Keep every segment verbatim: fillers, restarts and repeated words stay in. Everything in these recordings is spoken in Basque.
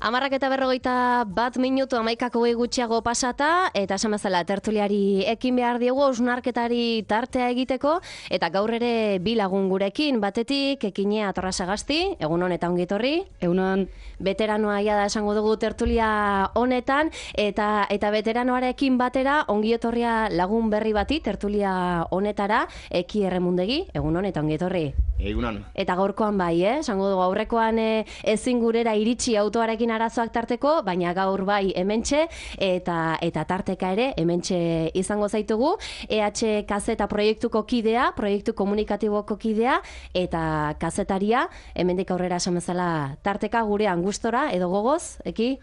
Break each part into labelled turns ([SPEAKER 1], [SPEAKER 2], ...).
[SPEAKER 1] Amarrak eta berrogeita bat minutu amaikako gutxiago pasata, eta esan bezala tertuliari ekin behar diegu osnarketari tartea egiteko, eta gaur ere bi lagun gurekin, batetik Ekinea Torrasagasti, egunon eta ongitorri.
[SPEAKER 2] Egunon.
[SPEAKER 1] Veteranoa ia da esango dugu tertulia honetan, eta eta veteranoarekin batera ongietorria lagun berri bati tertulia honetara, Eki Erremundegi, egunon eta ongietorri.
[SPEAKER 3] Egunon.
[SPEAKER 1] Eta gaurkoan bai, eh? Esango dugu aurrekoan eh, ezin gurera iritsi autoarekin arazoak tarteko, baina gaur bai hementxe eta eta tarteka ere hementxe izango zaitugu. E H Kazeta proiektuko kidea, proiektu komunikatiboko kidea eta kazetaria, hemendik aurrera esan bezala tarteka gurean gustora edo gogoz, Eki?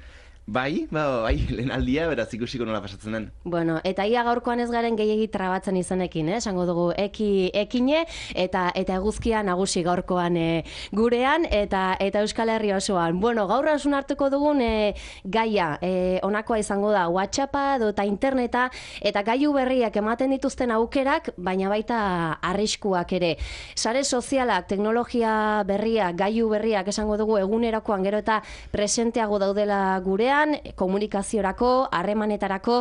[SPEAKER 3] Bai, ba, bai, lehen aldia, beraz ikusiko nola pasatzen den.
[SPEAKER 1] Bueno, eta ia gaurkoan ez garen gehiegi trabatzen izanekin, eh? Esango dugu eki, ekine eta eta eguzkia nagusi gaurkoan eh, gurean eta eta Euskal Herri osoan. Bueno, gaur hausun hartuko dugun eh, gaia, eh, honakoa izango da WhatsAppa edo eta interneta eta gailu berriak ematen dituzten aukerak, baina baita arriskuak ere. Sare sozialak, teknologia berriak, gailu berriak esango dugu egunerakoan gero eta presenteago daudela gurean, komunikaziorako, harremanetarako,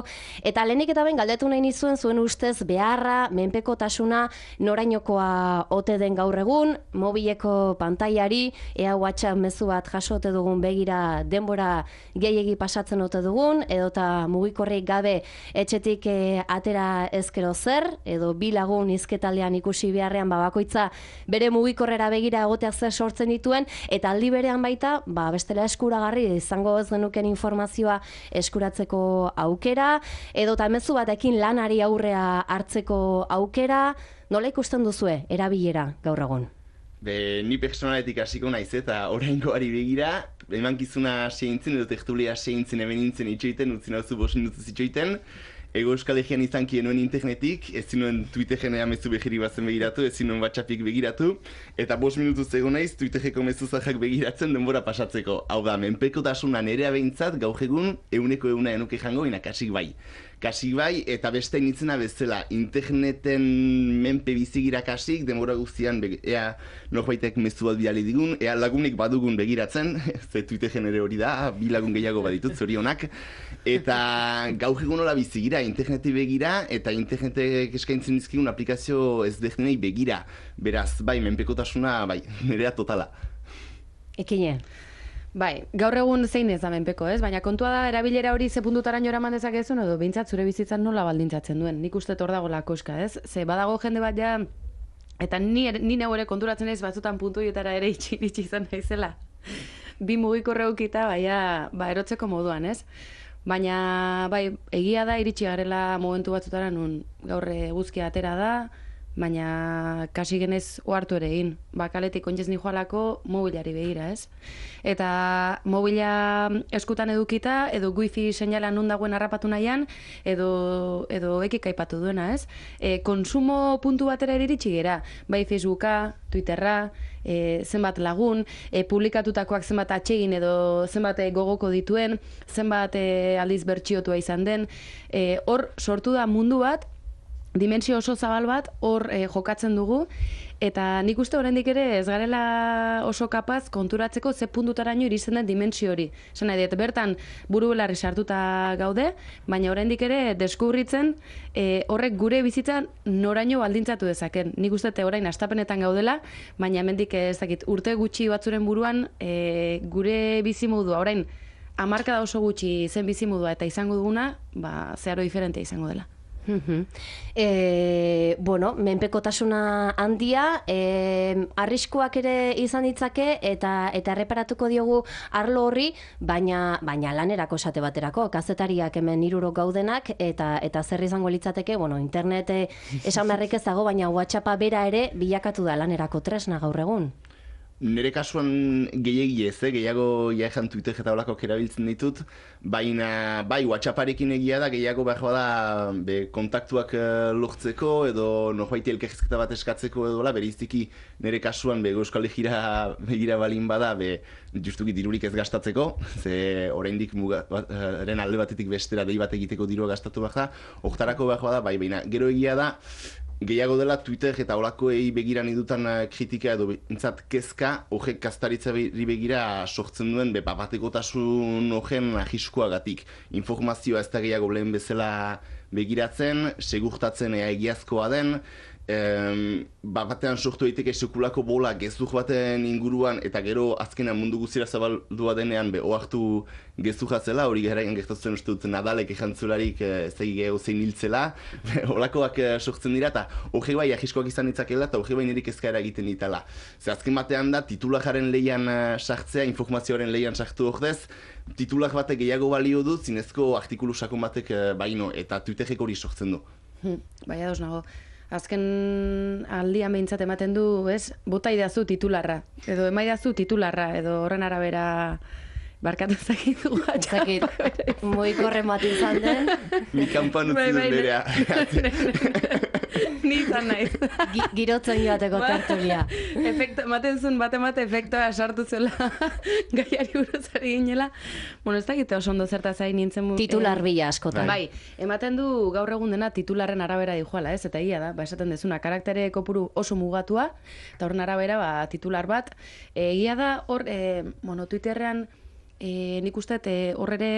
[SPEAKER 1] eta lehenik eta ben galdetu nahi nizuen zuen ustez beharra, menpekotasuna, norainokoa ote den gaur egun, mobileko pantailari, ea WhatsApp mezu bat jaso ote dugun begira denbora gehiegi pasatzen ote dugun, edota mugikorrik gabe etxetik eh, atera ezkero zer, edo bi lagun hizketaldean ikusi beharrean babakoitza bere mugikorrera begira egoteak zer sortzen dituen, eta aldi berean baita, ba, bestela eskuragarri izango ez genuken informazioa eskuratzeko aukera, edo eta mezu batekin lanari aurrea hartzeko aukera, nola ikusten duzue erabilera gaur egun?
[SPEAKER 3] Be, ni personaletik hasiko naiz eta oraingoari begira, emankizuna seintzen edo tertulia seintzen hemen nintzen itxoiten, utzi nauzu bost minutuz itxoiten, Ego Euskal Herrian izan kienuen internetik, ez zinuen Twitterren mezu behiri bazen begiratu, ez zinuen WhatsAppik begiratu, eta bost minutuz egon naiz Twitterreko mezu zahak begiratzen denbora pasatzeko. Hau da, menpekotasuna nerea behintzat gaur egun euneko euna enuke jango, ina kasik bai. Kasik bai, eta beste initzena bezala, interneten menpe bizigira kasik, denbora guztian, ea norbaitek mezu bat bidali digun, ea lagunik badugun begiratzen, ze Twitterren ere hori da, bi lagun gehiago baditut, zorionak, eta gaur egun hola bizigira, interneti begira, eta internetek eskaintzen dizkigun aplikazio ezberdinei begira. Beraz, bai, menpekotasuna, bai, nerea totala.
[SPEAKER 1] Ekine.
[SPEAKER 2] Bai, gaur egun zein ez da menpeko, ez? Baina kontua da erabilera hori ze puntutaraino eraman dezakezun edo behintzat zure bizitzan nola baldintzatzen duen. Nik uste hor dago lakoska, ez? Ze badago jende bat ja, eta ni, ni neu ere konturatzen naiz batzutan puntuietara ere itxi, itxi izan naizela. Bi mugikorre ukita, baina, ba, erotzeko moduan, ez? Baina, bai, egia da iritsi garela momentu batzutara nun gaur eguzkia atera da, baina kasi genez ohartu ere egin. Bakaletik ontzez nijoalako mobilari begira, ez? Eta mobila eskutan edukita, edo wifi seinala nun dagoen harrapatu nahian, edo, edo ekik aipatu duena, ez? E, konsumo puntu batera iritsi gera, bai Facebooka, Twitterra, e, zenbat lagun, e, publikatutakoak zenbat atsegin edo zenbat gogoko dituen, zenbat e, aldiz bertsiotua izan den, e, hor sortu da mundu bat, dimensio oso zabal bat hor eh, jokatzen dugu, eta nik uste oraindik ere ez garela oso kapaz konturatzeko ze puntutaraino iristen den dimensio hori. Esan nahi dut, bertan buru belarri sartuta gaude, baina oraindik ere deskubritzen eh, horrek gure bizitzan noraino baldintzatu dezaken. Nik uste orain hastapenetan gaudela, baina hemendik ez dakit urte gutxi batzuren buruan eh, gure bizimodua orain hamarkada oso gutxi zen bizimodua eta izango duguna, ba, zeharo diferentea izango dela.
[SPEAKER 1] Uh-huh. E, bueno, menpekotasuna handia, e, arriskuak ere izan ditzake eta eta erreparatuko diogu arlo horri, baina baina lanerako esate baterako, kazetariak hemen hirurok gaudenak eta eta zer izango litzateke, bueno, internet esan beharrik ez dago, baina WhatsAppa bera ere bilakatu da lanerako tresna gaur egun.
[SPEAKER 3] Nire kasuan gehiegi ez, eh? Gehiago jaean Twitter eta olakok erabiltzen ditut, baina bai, WhatsApparekin egia da, gehiago behar bada be, kontaktuak uh, lortzeko edo norbaiti elkarrizketa bat eskatzeko edo la, beriztiki nire kasuan be, Euskal Herriera begira balin bada, be, justuki dirurik ez gastatzeko, ze oraindik mugaren alde batetik bestera dei bat egiteko dirua gastatu behar da, hortarako behar bada, bai, baina gero egia da, gehiago dela Twitter eta olakoei begira nidutan kritika edo bintzat kezka horrek kaztaritzari begira sortzen duen be bapatekotasun horren ahiskoagatik. Informazioa ez da gehiago lehen bezala begiratzen, segurtatzen ea egiazkoa den, Um, ba, batean sortu daiteke sekulako bola gezur baten inguruan eta gero azkenan mundu guztira zabaldua denean be ohartu gezurra zela, hori garaian gertatzen uste dut Nadalek ejantzularik ez da gehiago zein hiltzela, holakoak sortzen dira eta hori bai ahiskoak izan ditzakela eta hori bai niri kezka egiten ditala. Ze azken batean da titulajaren leian sartzea, informazioaren leian sartu ordez, titulak batek gehiago balio du, zinezko artikulu sakon batek baino eta Twitterrek hori sortzen du.
[SPEAKER 2] Hmm, bai ados nago. Azken aldian behintzat ematen du, ez, bota idazu titularra, edo emaidazu titularra, edo horren arabera barkatu zakitu gatxa.
[SPEAKER 1] Zakit, moiko bat izan den.
[SPEAKER 3] Mi kanpan utzi dut berea.
[SPEAKER 2] Ni izan naiz.
[SPEAKER 1] Girotzen joateko tertulia.
[SPEAKER 2] Efekto, ematen zuen, bate-mate efektoa sartu zela gaiari buruzari ginela. Bueno, ez dakite oso ondo zertaz zain nintzen.
[SPEAKER 1] Titular bila askotan.
[SPEAKER 2] Bai, ematen du gaur egun dena titularren arabera dijoala, ez? Eta ia da, ba, esaten dezuna, karaktere kopuru oso mugatua, eta horren arabera, ba, titular bat. Egia da, hor, e, bueno, Twitterrean, E, nik uste horre ere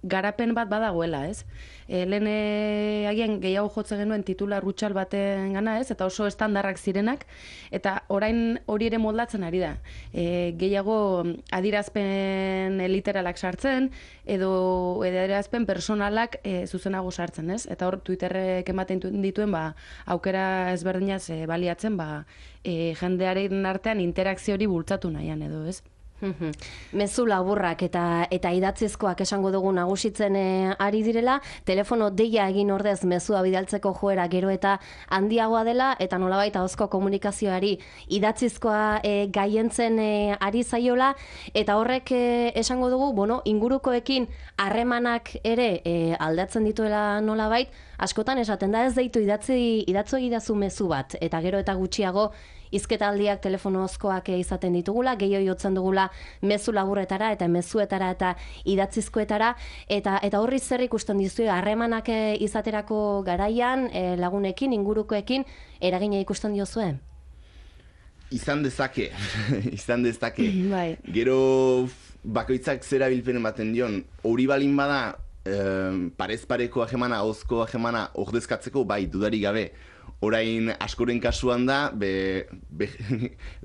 [SPEAKER 2] garapen bat badagoela, ez? E, lehen e, agian gehiago jotzen genuen titular rutxal baten gana, ez? Eta oso estandarrak zirenak, eta orain hori ere moldatzen ari da. E, gehiago adirazpen literalak sartzen, edo adirazpen personalak e, zuzenago sartzen, ez? Eta hor Twitterrek ematen dituen ba, aukera ezberdinaz e, baliatzen, ba, e, jendearen artean interakzio hori bultzatu nahian, edo, ez?
[SPEAKER 1] Mezu laburrak eta eta idatzizkoak esango dugu nagusitzen e, ari direla, telefono deia egin ordez mezua bidaltzeko joera gero eta handiagoa dela, eta nolabait ahozko komunikazioari idatzizkoa e, gaientzen e, ari zaiola, eta horrek e, esango dugu, bueno, ingurukoekin harremanak ere e, aldatzen dituela nolabait, askotan esaten da ez deitu idatzi idatzo egidazu mezu bat, eta gero eta gutxiago hizketaldiak telefonozkoak izaten ditugula, gehiago jotzen dugula mezu laburretara eta mezuetara eta idatzizkoetara, eta eta horri zer ikusten dizu harremanak izaterako garaian e, lagunekin, ingurukoekin eragina ikusten diozue?
[SPEAKER 3] Izan dezake, izan dezake.
[SPEAKER 2] Bai.
[SPEAKER 3] Gero bakoitzak zera bilpen ematen dion, hori balin bada eh, parez pareko ahemana, ahozko ahemana ordezkatzeko, bai, dudarik gabe. Orain askoren kasuan da, be, be,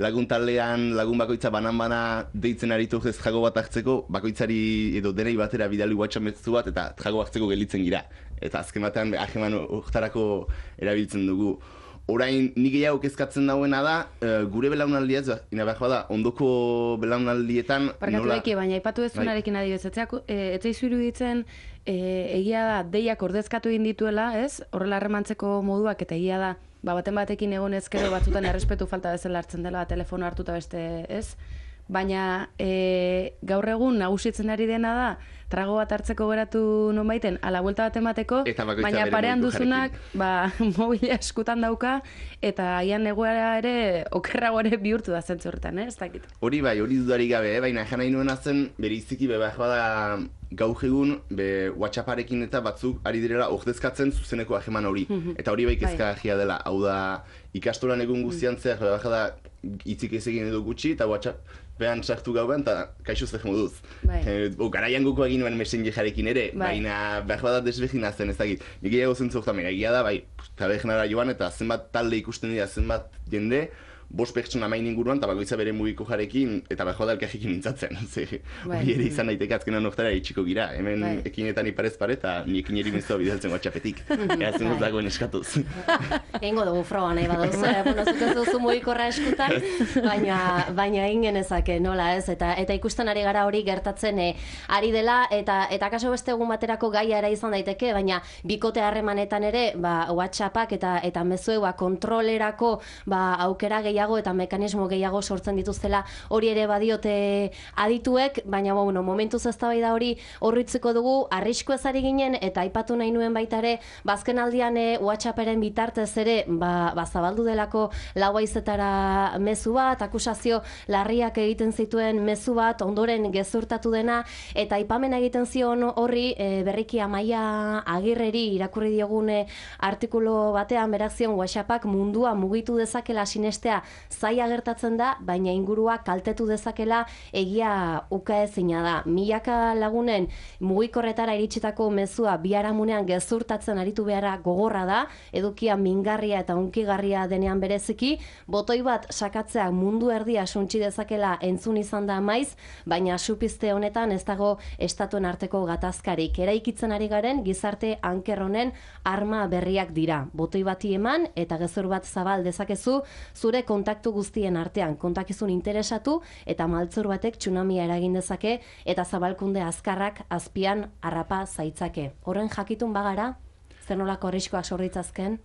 [SPEAKER 3] lagun taldean, lagun bakoitza banan-bana deitzen aritu ez jago bat hartzeko, bakoitzari edo denei batera bidali WhatsApp mezu bat eta jago hartzeko gelitzen gira. Eta azken batean aheman hortarako erabiltzen dugu. Orain nik gehiago kezkatzen dauena da, uh, gure belaunaldia, ina behar bada, ondoko belaunaldietan...
[SPEAKER 2] Parkatu
[SPEAKER 3] nola...
[SPEAKER 2] eki, baina aipatu ez duenarekin adibidez, etzaizu iruditzen e, egia da deiak ordezkatu egin dituela, ez? Horrela harremantzeko moduak eta egia da, ba, baten batekin egon ezkero batzutan errespetu falta bezala hartzen dela, telefono hartuta beste, ez? Baina e, gaur egun nagusitzen ari dena da, trago bat hartzeko geratu nonbaiten, ala buelta bat emateko, baina parean duzunak ba, mobila eskutan dauka, eta aian egoera ere okerrago ere bihurtu da zentzu horretan, eh? Ez dakit.
[SPEAKER 3] Hori bai, hori dudarik gabe, eh? Baina ejan nahi nuena zen, bere iziki be, bada gaur egun, be, WhatsApparekin eta batzuk ari direla ordezkatzen zuzeneko aheman hori. Eta hori bai kezkagarria dela, hau da ikastolan egun guztian zer, bada hitzik ez egin edo gutxi, eta WhatsApp behan sartu gauan, eta kaixo zer moduz.
[SPEAKER 2] Bai.
[SPEAKER 3] E, o, garaian guko egin nuen messengerekin ere,
[SPEAKER 2] bai. Baina
[SPEAKER 3] behar bada desbegina zen ezagit. Nik egiago zentzu oktamen, egia da, bai, tabegenara joan, eta zenbat talde ikusten dira, zenbat jende, bost pertsona main inguruan, eta bakoitza bere mugiko jarekin, eta behar bada elkarrekin mintzatzen. Hori ere izan daiteke azkenan oktara itxiko gira, hemen bai. Ekinetan iparez pare, eta niekin eri mezua bidaltzen WhatsAppetik. Eazen dut dagoen eskatuz.
[SPEAKER 1] Egingo dugu froga nahi baduz, eh? Bueno, zutez duzu mugikorra eskutan, baina, baina egin genezake, nola ez, eta eta ikusten ari gara hori gertatzen eh, ari dela, eta eta kaso beste egun baterako gaia era izan daiteke, baina bikote harremanetan ere, ba, WhatsAppak eta eta mezuek ba, kontrolerako ba, aukera gehiago gehiago eta mekanismo gehiago sortzen dituztela hori ere badiote adituek, baina bueno, momentuz eztabaida hori horritzeko dugu, arrisku ezari ginen eta aipatu nahi nuen baita ere, bazken aldian e, WhatsApperen bitartez ere, ba, ba zabaldu delako lau haizetara mezu bat, akusazio larriak egiten zituen mezu bat, ondoren gezurtatu dena, eta aipamena egiten zion horri e, berriki Amaia Agirreri irakurri diogune artikulu batean berak zion WhatsAppak mundua mugitu dezakela sinestea zaila gertatzen da, baina ingurua kaltetu dezakela egia ukaezina da. Milaka lagunen mugikorretara iritsitako mezua biharamunean gezurtatzen aritu beharra gogorra da, edukia mingarria eta unkigarria denean bereziki, botoi bat sakatzea mundu erdia suntsi dezakela entzun izan da maiz, baina supizte honetan ez dago estatuen arteko gatazkarik. Eraikitzen ari garen gizarte anker honen arma berriak dira. Botoi bati eman eta gezur bat zabal dezakezu zure kontaktu guztien artean. Kontakizun interesatu eta maltzur batek tsunamia eragin dezake eta zabalkunde azkarrak azpian harrapa zaitzake. Horren jakitun bagara, zer nolako arriskoak sorritzazken?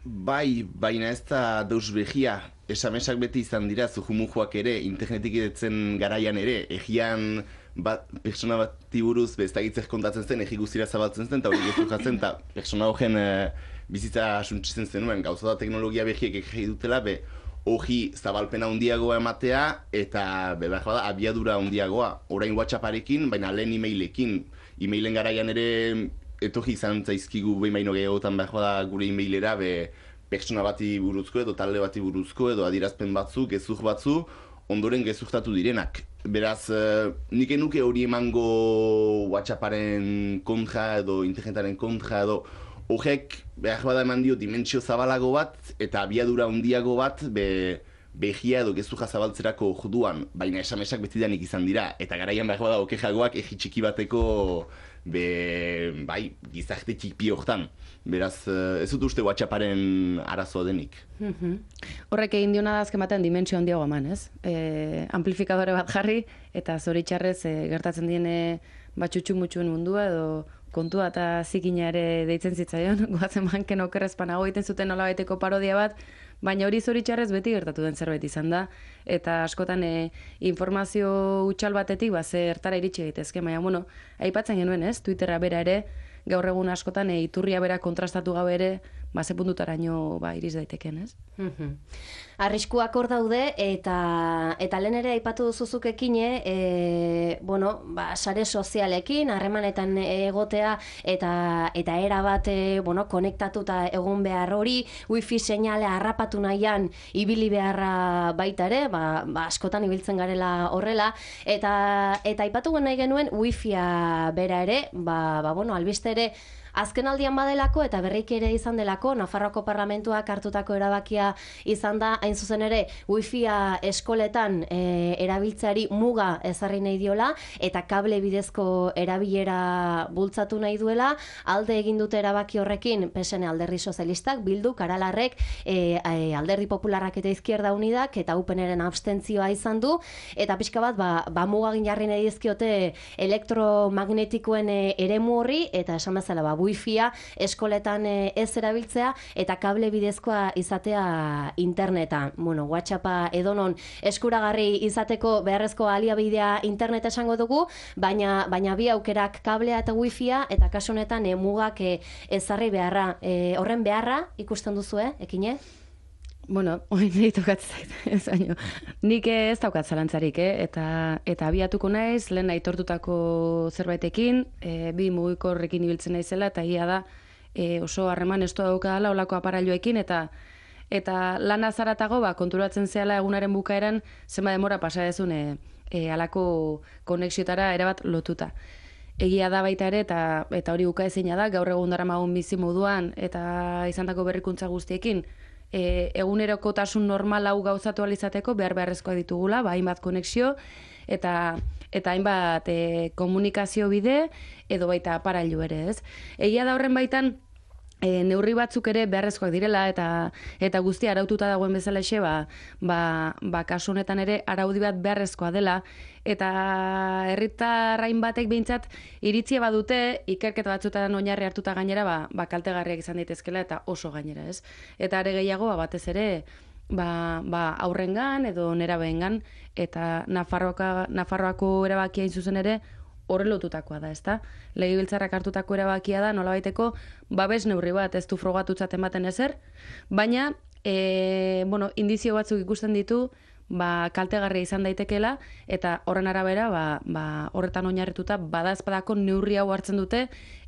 [SPEAKER 3] Bai, baina ez da deus behia. Esamesak beti izan dira, zuhumujoak ere, internetik edetzen garaian ere, egian bat, persona bati buruz beztagitzek kontatzen zen, egi guztira zabaltzen zen, eta hori gezu jatzen, eta persona horren e, bizitza suntsitzen zenuen, gauza da teknologia behiek egi dutela, be, hori zabalpena handiagoa ematea, eta be, behar bada, abiadura handiagoa, orain WhatsApparekin, baina lehen e-mailekin, e-mailen garaian ere, etorri izan zaizkigu behin baino gehiagotan behar bada gure e-mailera, be, pertsona bati buruzko edo talde bati buruzko edo adierazpen batzu, gezur batzu, ondoren gezurtatu direnak. Beraz, uh, nik enuke hori emango WhatsApparen kontra edo internetaren kontra edo horrek behar bada eman dio dimentsio zabalago bat eta abiadura handiago bat be, behia edo gezurra zabaltzerako orduan, baina esamesak betidanik izan dira. Eta garaian behar bada okejagoak egi txiki bateko be, bai, gizarte txipi hortan. Beraz, ez dut uste WhatsApparen arazoa denik.
[SPEAKER 2] Mm-hmm. Horrek egin diona da azken batean dimentsio handiago eman, ez? E, amplifikadore bat jarri, eta zoritxarrez e, gertatzen diene batxutxu-mutxuen mundua, edo kontua eta zikina ere deitzen zitzaion, goazen banken okerrezpanago egiten zuten nolabaiteko parodia bat, baina hori zoritxarrez beti gertatu den zerbait izan da, eta askotan e, informazio utxal batetik ba, zertara iritsi egitezke, baina, bueno, aipatzen genuen, ez? Twitterra bera ere, gaur egun askotan e, iturria bera kontrastatu gabe ere, ba, ze puntutaraino ba, iriz daiteken, ez?
[SPEAKER 1] Mm-hmm. Arriskuak hor daude, eta eta lehen ere aipatu duzuzuk ekine, e, bueno, ba, sare sozialekin, harremanetan egotea, eta eta era bat, e, bueno, konektatuta egon behar hori, wifi seinale harrapatu nahian ibili beharra baita ere, ba, ba, askotan ibiltzen garela horrela, eta eta aipatu nahi genuen wifia bera ere, ba, ba bueno, albiste ere, azken aldian badelako eta berriki ere izan delako, Nafarroako Parlamentuak hartutako erabakia izan da, hain zuzen ere, wifia eskoletan e, erabiltzeari muga ezarri nahi diola, eta kable bidezko erabilera bultzatu nahi duela, alde egin dute erabaki horrekin, P S N Alderdi Sozialistak, Bildu, Aralarrek, e, e, Alderdi Popularrak eta Izquierda Unidak, eta U P N-ren abstentzioa izan du, eta pixka bat, ba, ba mugagin jarri nahi dizkiote elektromagnetikoen e, eremu horri, eta esan bezala, ba, wifia eskoletan e, ez erabiltzea eta kable bidezkoa izatea interneta. Bueno, WhatsAppa edonon eskuragarri izateko beharrezko aliabidea internet esango dugu, baina baina bi aukerak kablea eta wifia, eta kasu honetan e, mugak e, ezarri beharra. E, horren beharra ikusten duzu, eh, ekine?
[SPEAKER 2] Bueno, hori nahi tokatzen zait, baino. Nik ez daukat zalantzarik, eh? eta, eta abiatuko naiz, lehen aitortutako zerbaitekin, e, bi mugikorrekin ibiltzen naizela, eta ia da e, oso harreman estua daukadala olako aparailoekin, eta eta lan azaratago ba, konturatzen zehala egunaren bukaeran zenba demora pasa dezun e, e, alako konexiotara erabat lotuta. Egia da baita ere, eta, eta hori ukaezina da, gaur egun daramagun bizi moduan, eta izandako berrikuntza guztiekin, E, egunerokotasun normal hau gauzatu alizateko behar beharrezkoa ditugula, ba, hainbat konexio eta eta hainbat e, komunikazio bide edo baita aparailu ere, ez? Egia da horren baitan e, neurri batzuk ere beharrezkoak direla eta eta guztia araututa dagoen bezalaxe, ba, ba, ba kasu honetan ere araudi bat beharrezkoa dela, eta herritarrain batek behintzat iritzia badute ikerketa batzuetan oinarri hartuta gainera ba, ba kaltegarriak izan daitezkela eta oso gainera, ez? Eta are gehiago ba, batez ere ba, ba aurrengan edo nerabeengan, eta Nafarroaka, Nafarroako erabakia zuzen ere horre lotutakoa da, ezta? Legebiltzarrak hartutako erabakia da, nolabaiteko babes neurri bat, ez du frogatutzat ematen ezer, baina, e, bueno, indizio batzuk ikusten ditu, ba, kaltegarria izan daitekeela, eta horren arabera, ba, ba, horretan oinarrituta, badazpadako neurri hau hartzen dute,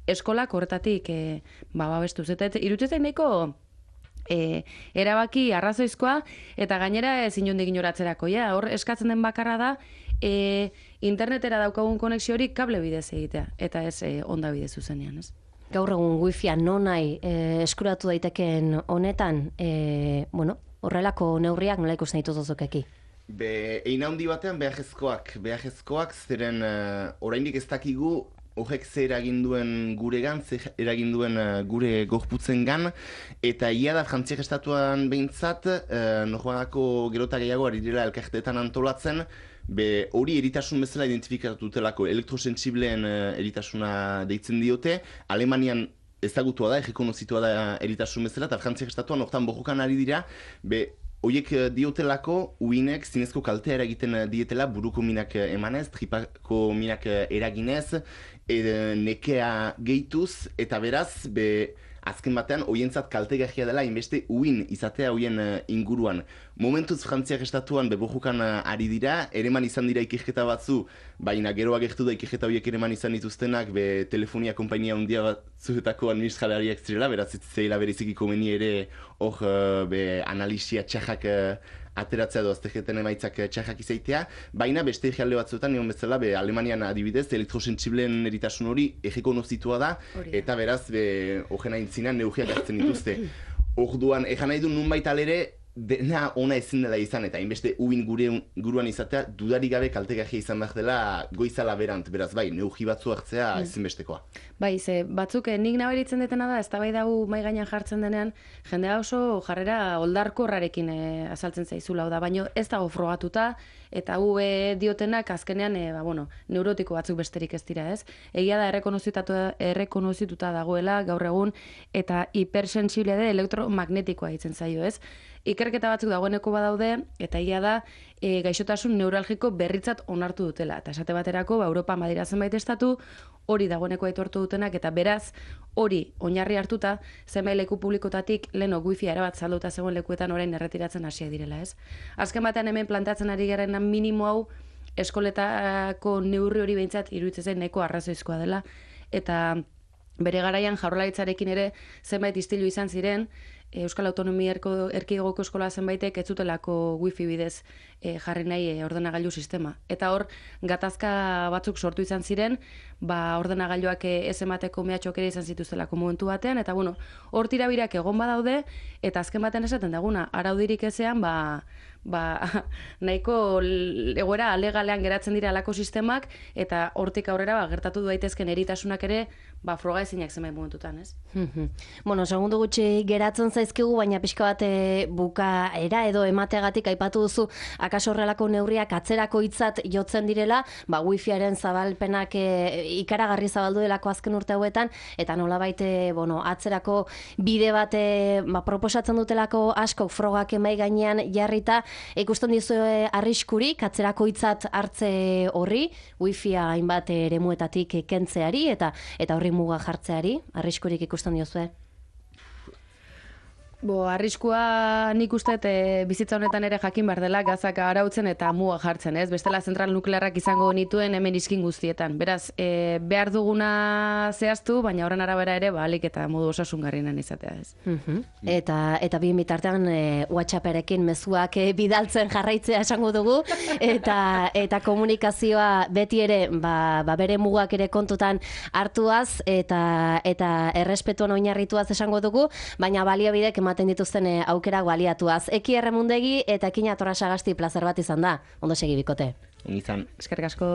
[SPEAKER 2] eskolak horretatik, e, ba, babestuz. Eta irutzen nahiko, E, erabaki arrazoizkoa, eta gainera ez inondik inoratzerako, ja, hor eskatzen den bakarra da, e, internetera daukagun konexio hori kable bidez egitea, eta ez e, onda bidez zuzenean, ez?
[SPEAKER 1] Gaur egun wifia nonai e, eskuratu daiteken honetan, e, bueno, horrelako neurriak nola ikusten ditut ozokeki?
[SPEAKER 3] Be, ein handi batean behajezkoak, behajezkoak zeren uh, oraindik ez dakigu horrek ze eragin duen guregan, ze eragin duen uh, gure gorputzengan, eta ia da Frantziak estatuan behintzat, uh, norbanako gerota gehiago ari direla elkarteetan antolatzen, be hori eritasun bezala identifikatu dutelako elektrosensibleen uh, eritasuna deitzen diote, Alemanian ezagutua da, errekonozitua da eritasun bezala, eta Frantziak estatuan hortan bojokan ari dira, be Oiek diotelako, uinek zinezko kaltea eragiten dietela buruko minak emanez, tripako minak eraginez, e, nekea gehituz, eta beraz, be, azken batean, oientzat kaltegarria dela, inbeste uin izatea oien inguruan. Momentuz Frantziak estatuan beborrukan ari dira, ereman izan dira ikerketa batzu, baina gero agertu da ikerketa horiek ereman izan dituztenak, be telefonia konpainia handia batzuetako administralariak zirela, beraz ez zeila berezikiko meni ere hor be analisia txajak ateratzea edo azterketen emaitzak txajak izaitea, baina beste egialde batzuetan, nion bezala, be, Alemanian adibidez, elektrosensibleen eritasun hori errekonozitua da, eta beraz, horren aintzinean neugiak hartzen dituzte. Orduan, egan nahi du nunbait alere, dena ona ezin dela izan, eta hainbeste uin gure, guruan izatea, dudarik gabe kaltegarria izan behar dela goizala berant, beraz bai, neugi batzu hartzea mm. ezinbestekoa.
[SPEAKER 2] Bai, ze batzuk nik nabaritzen detena da, eztabaida hau mahai gainean jartzen denean, jendea oso jarrera oldarkorrarekin e, azaltzen zaizula, da, baino ez dago frogatuta, eta hu e, diotenak azkenean, e, ba, bueno, neurotiko batzuk besterik ez dira, ez? Egia da errekonozituta dagoela gaur egun, eta hipersensible de elektromagnetikoa ditzen zaio, ez? Ikerketa batzuk dagoeneko badaude, eta egia da, e, gaixotasun neuralgiko berritzat onartu dutela. Eta esate baterako, ba, Europa madira zenbait estatu, hori dagoeneko aitortu dutenak, eta beraz, hori oinarri hartuta, zenbait leku publikotatik leno wifi erabat salduta zegoen lekuetan orain erretiratzen hasiak direla, ez? Azken batean hemen plantatzen ari garen minimo hau, eskoletako neurri hori behintzat iruditzen zen nahiko arrazoizkoa dela, eta bere garaian Jaurlaritzarekin ere zenbait istilu izan ziren, Euskal Autonomia Erkidegoko eskola zenbaitek ez zutelako wifi bidez e, jarri nahi e, ordenagailu sistema. Eta hor, gatazka batzuk sortu izan ziren, ba, ordenagailuak ez emateko mehatxok ere izan zituztelako momentu batean, eta bueno, hor tirabirak egon badaude, eta azken batean esaten daguna, araudirik ezean, ba, ba, nahiko egoera alegalean geratzen dira alako sistemak, eta hortik aurrera ba, gertatu daitezken eritasunak ere, ba, froga ezinak zenbait momentutan, ez?
[SPEAKER 1] Bueno, segundu gutxi geratzen zaizkigu, baina pixka bat bukaera edo emateagatik aipatu duzu, akaso horrelako neurriak atzerako hitzat jotzen direla, ba, wifiaren zabalpenak e, ikaragarri zabaldu delako azken urte hauetan, eta nolabait e, bueno, atzerako bide bat e, ba, proposatzen dutelako askok frogak emai gainean jarrita, ikusten dizu e, arriskurik atzerako hitzat hartze horri, wifia hainbat eremuetatik kentzeari, eta eta horri muga jartzeari, arriskurik ikusten diozue?
[SPEAKER 2] Bo, arriskua nik uste e, bizitza honetan ere jakin behar dela gazak arautzen eta muga jartzen, ez? Bestela zentral nuklearrak izango nituen hemen iskin guztietan. Beraz, e, behar duguna zehaztu, baina horren arabera ere, ba, alik eta modu osasungarrienan izatea, ez?
[SPEAKER 1] Uh-huh. Eta, eta bi bitartean e, WhatsApperekin mezuak e, bidaltzen jarraitzea esango dugu, eta, eta komunikazioa beti ere, ba, ba bere mugak ere kontutan hartuaz, eta, eta errespetuan oinarrituaz esango dugu, baina baliabidek ematen dituzten aukerak baliatuaz. Eki Erremundegi eta Ekina Torra Sagasti plazer bat izan da. Ondo segi bikote.
[SPEAKER 3] Ongi izan.
[SPEAKER 2] Eskerrik asko.